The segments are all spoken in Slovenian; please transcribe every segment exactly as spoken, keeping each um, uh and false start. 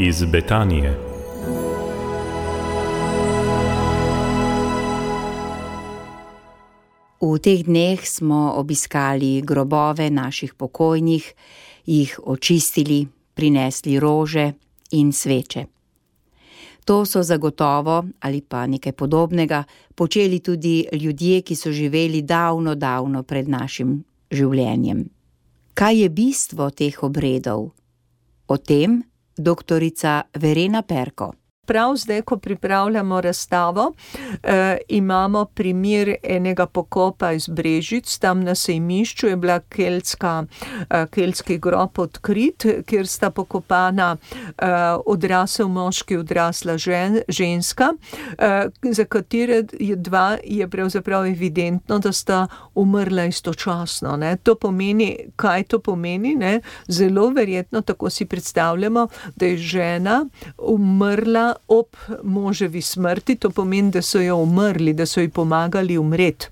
iz Betanije. V teh dneh smo obiskali grobove naših pokojnih, jih očistili, prinesli rože in sveče. To so zagotovo, ali pa nekaj podobnega, počeli tudi ljudje, ki so živeli davno, davno pred našim življenjem. Kaj je bistvo teh obredov? O tem doktorica Verena Perko. Prav zdaj, ko pripravljamo razstavo, eh, imamo primer enega pokopa iz Brežic, tam na sejmišču je bila keltska, eh, keltski grob odkrit, kjer sta pokopana eh, odrasel moški, odrasla žen, ženska, eh, za katere je dva je pravzaprav evidentno, da sta umrla istočasno. Ne. To pomeni, kaj to pomeni? Ne? Zelo verjetno, tako si predstavljamo, da je žena umrla ob moževi smrti, to pomeni, da so jo umrli, da so ji pomagali umreti.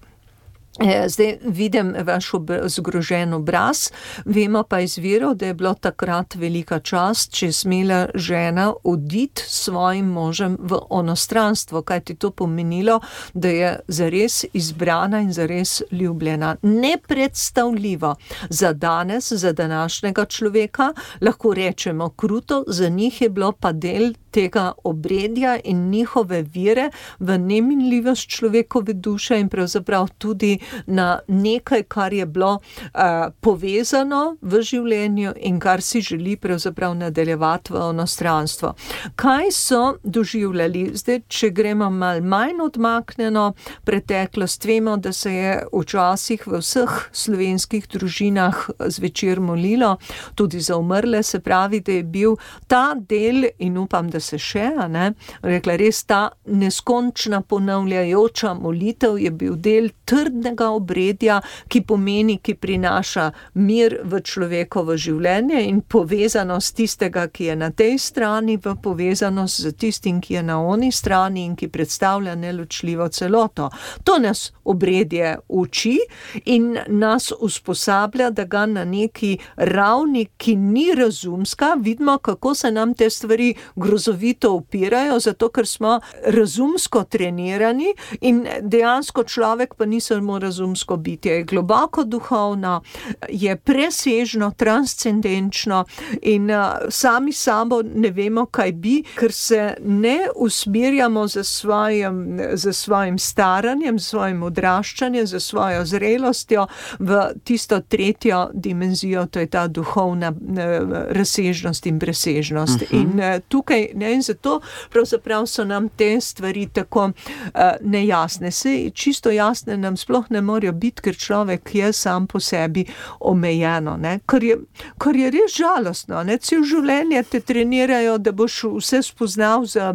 Zdaj vidim vaš ob, zgrožen obraz, vemo pa iz virov, da je bilo takrat velika čast, če je smela žena oditi s svojim možem v onostranstvo, kaj ti to pomenilo, da je zares izbrana in zares ljubljena. Nepredstavljivo za danes, za današnjega človeka, lahko rečemo kruto, za njih je bilo pa del tega obredja in njihove vire v neminljivost človekove duše in pravzaprav tudi na nekaj, kar je bilo uh, povezano v življenju in kar si želi pravzaprav nadaljevati v onostranstvo. Kaj so doživljali? Zdaj, če gremo malo manj odmaknjeno preteklost, vemo, da se je včasih v vseh slovenskih družinah zvečer molilo, tudi za umrle, se pravi, da je bil ta del, in upam, da se še, ne, rekla, res ta neskončna ponavljajoča molitev je bil del trdnega obredja, ki pomeni, ki prinaša mir v človekovo življenje in povezanost tistega, ki je na tej strani, v povezanost z tistim, ki je na oni strani in ki predstavlja neločljivo celoto. To nas obredje uči in nas usposablja, da ga na neki ravni, ki ni razumska, vidimo, kako se nam te stvari grozovito upirajo, zato ker smo razumsko trenirani in dejansko človek pa ni samo razumsko bitje, je globoko duhovno, je presežno, transcendenčno in uh, sami sabo ne vemo, kaj bi, ker se ne usmerjamo za svojim, za svojim staranjem, za svojim odraščanjem, za svojo zrelostjo v tisto tretjo dimenzijo, to je ta duhovna uh, razsežnost in presežnost. Uh-huh. In uh, tukaj, ne, in zato pravzaprav so nam te stvari tako uh, nejasne. Se čisto jasne nam sploh ne morajo biti, ker človek je sam po sebi omejeno, ne? Kar je, kar je res žalostno, ne? Cel življenje te trenirajo, da boš vse spoznal za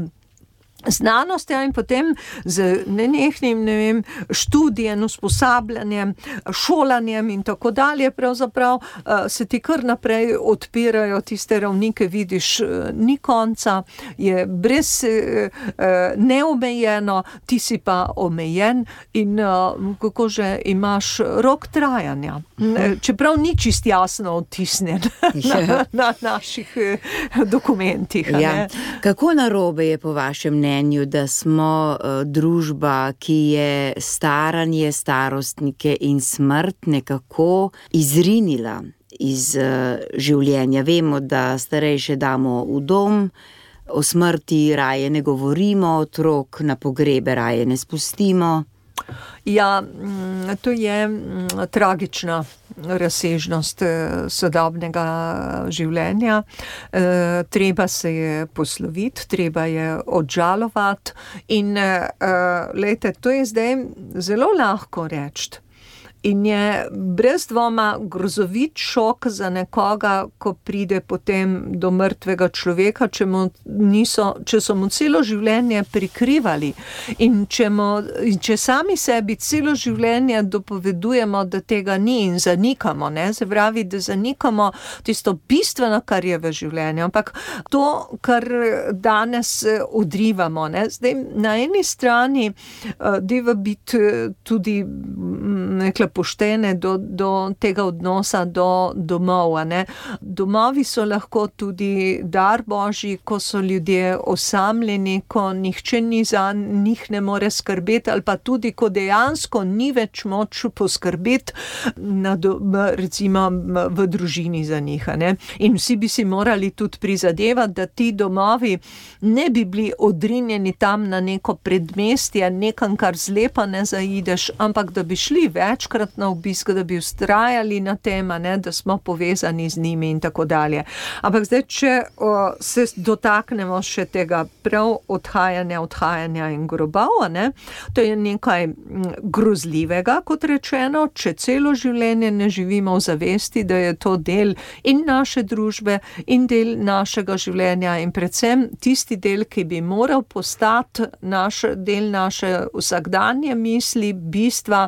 znanost, ja, in potem z nenehnim, ne vem, študijem, usposabljanjem, šolanjem in tako dalje, pravzaprav uh, se ti kar naprej odpirajo tiste ravnike, vidiš, uh, ni konca, je brez uh, neomejeno, ti si pa omejen in uh, kako že imaš rok trajanja. Čeprav ni čist jasno odtisnjen na, na naših uh, dokumentih. Ja. Ne? Kako narobe je po vašem mnenju, da smo uh, družba, ki je staranje, starostnike in smrt nekako izrinila iz uh, življenja? Vemo, da starejše damo v dom, o smrti raje ne govorimo, otrok na pogrebe raje ne spustimo. Ja, to je tragična razsežnost sodobnega življenja. Treba se je posloviti, treba je odžalovati in lejte, to je zdaj zelo lahko reči. In je brez dvoma grozovit šok za nekoga, ko pride potem do mrtvega človeka, če, mu niso, če so mu celo življenje prikrivali in če, mu, in če sami sebi celo življenje dopovedujemo, da tega ni in zanikamo, ne? Se pravi, da zanikamo tisto bistveno, kar je v življenju, ampak to, kar danes odrivamo, ne? Zdaj, na eni strani uh, deva biti tudi nekla tiste poštene do, do tega odnosa do domov. Ne. Domovi so lahko tudi dar Božji, ko so ljudje osamljeni, ko nihče ni za njih ne more skrbeti, ali pa tudi, ko dejansko ni več moč poskrbeti na do, recimo v družini za njih. Ne. In vsi bi si morali tudi prizadevati, da ti domovi ne bi bili odrinjeni tam na neko predmestje, nekam, kar zlepa ne zaideš, ampak da bi šli večkrat na obisk, da bi vztrajali na tem, ne, da smo povezani z njimi in tako dalje. Ampak zdaj, če o, se dotaknemo še tega prav odhajanja, odhajanja in grobov, ne, to je nekaj grozljivega, kot rečeno, če celo življenje ne živimo v zavesti, da je to del in naše družbe in del našega življenja in predvsem tisti del, ki bi moral postati naš, del naše vsakdanje misli, bistva,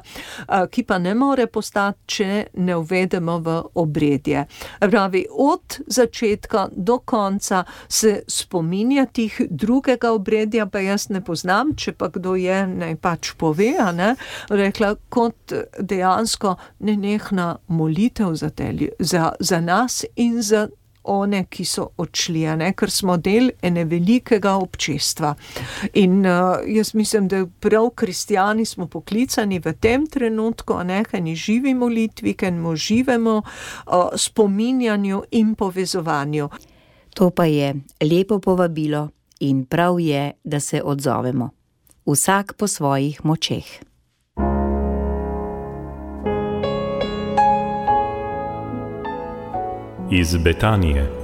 ki pa ne more postati, če ne uvedemo v obredje. Pravi, od začetka do konca se spominja tih drugega obredja, pa jaz ne poznam, če pa kdo je, naj pač pove, ne, rekla, kot dejansko nenehna molitev za, te, za, za nas in za one, ki so odšli, ne, ker smo del ene velikega občestva. In uh, jaz mislim, da prav kristjani smo poklicani v tem trenutku, ne, k eni živi molitvi, k enemu živemu uh, spominjanju in povezovanju. To pa je lepo povabilo in prav je, da se odzovemo. Vsak po svojih močeh. Iz Betanije.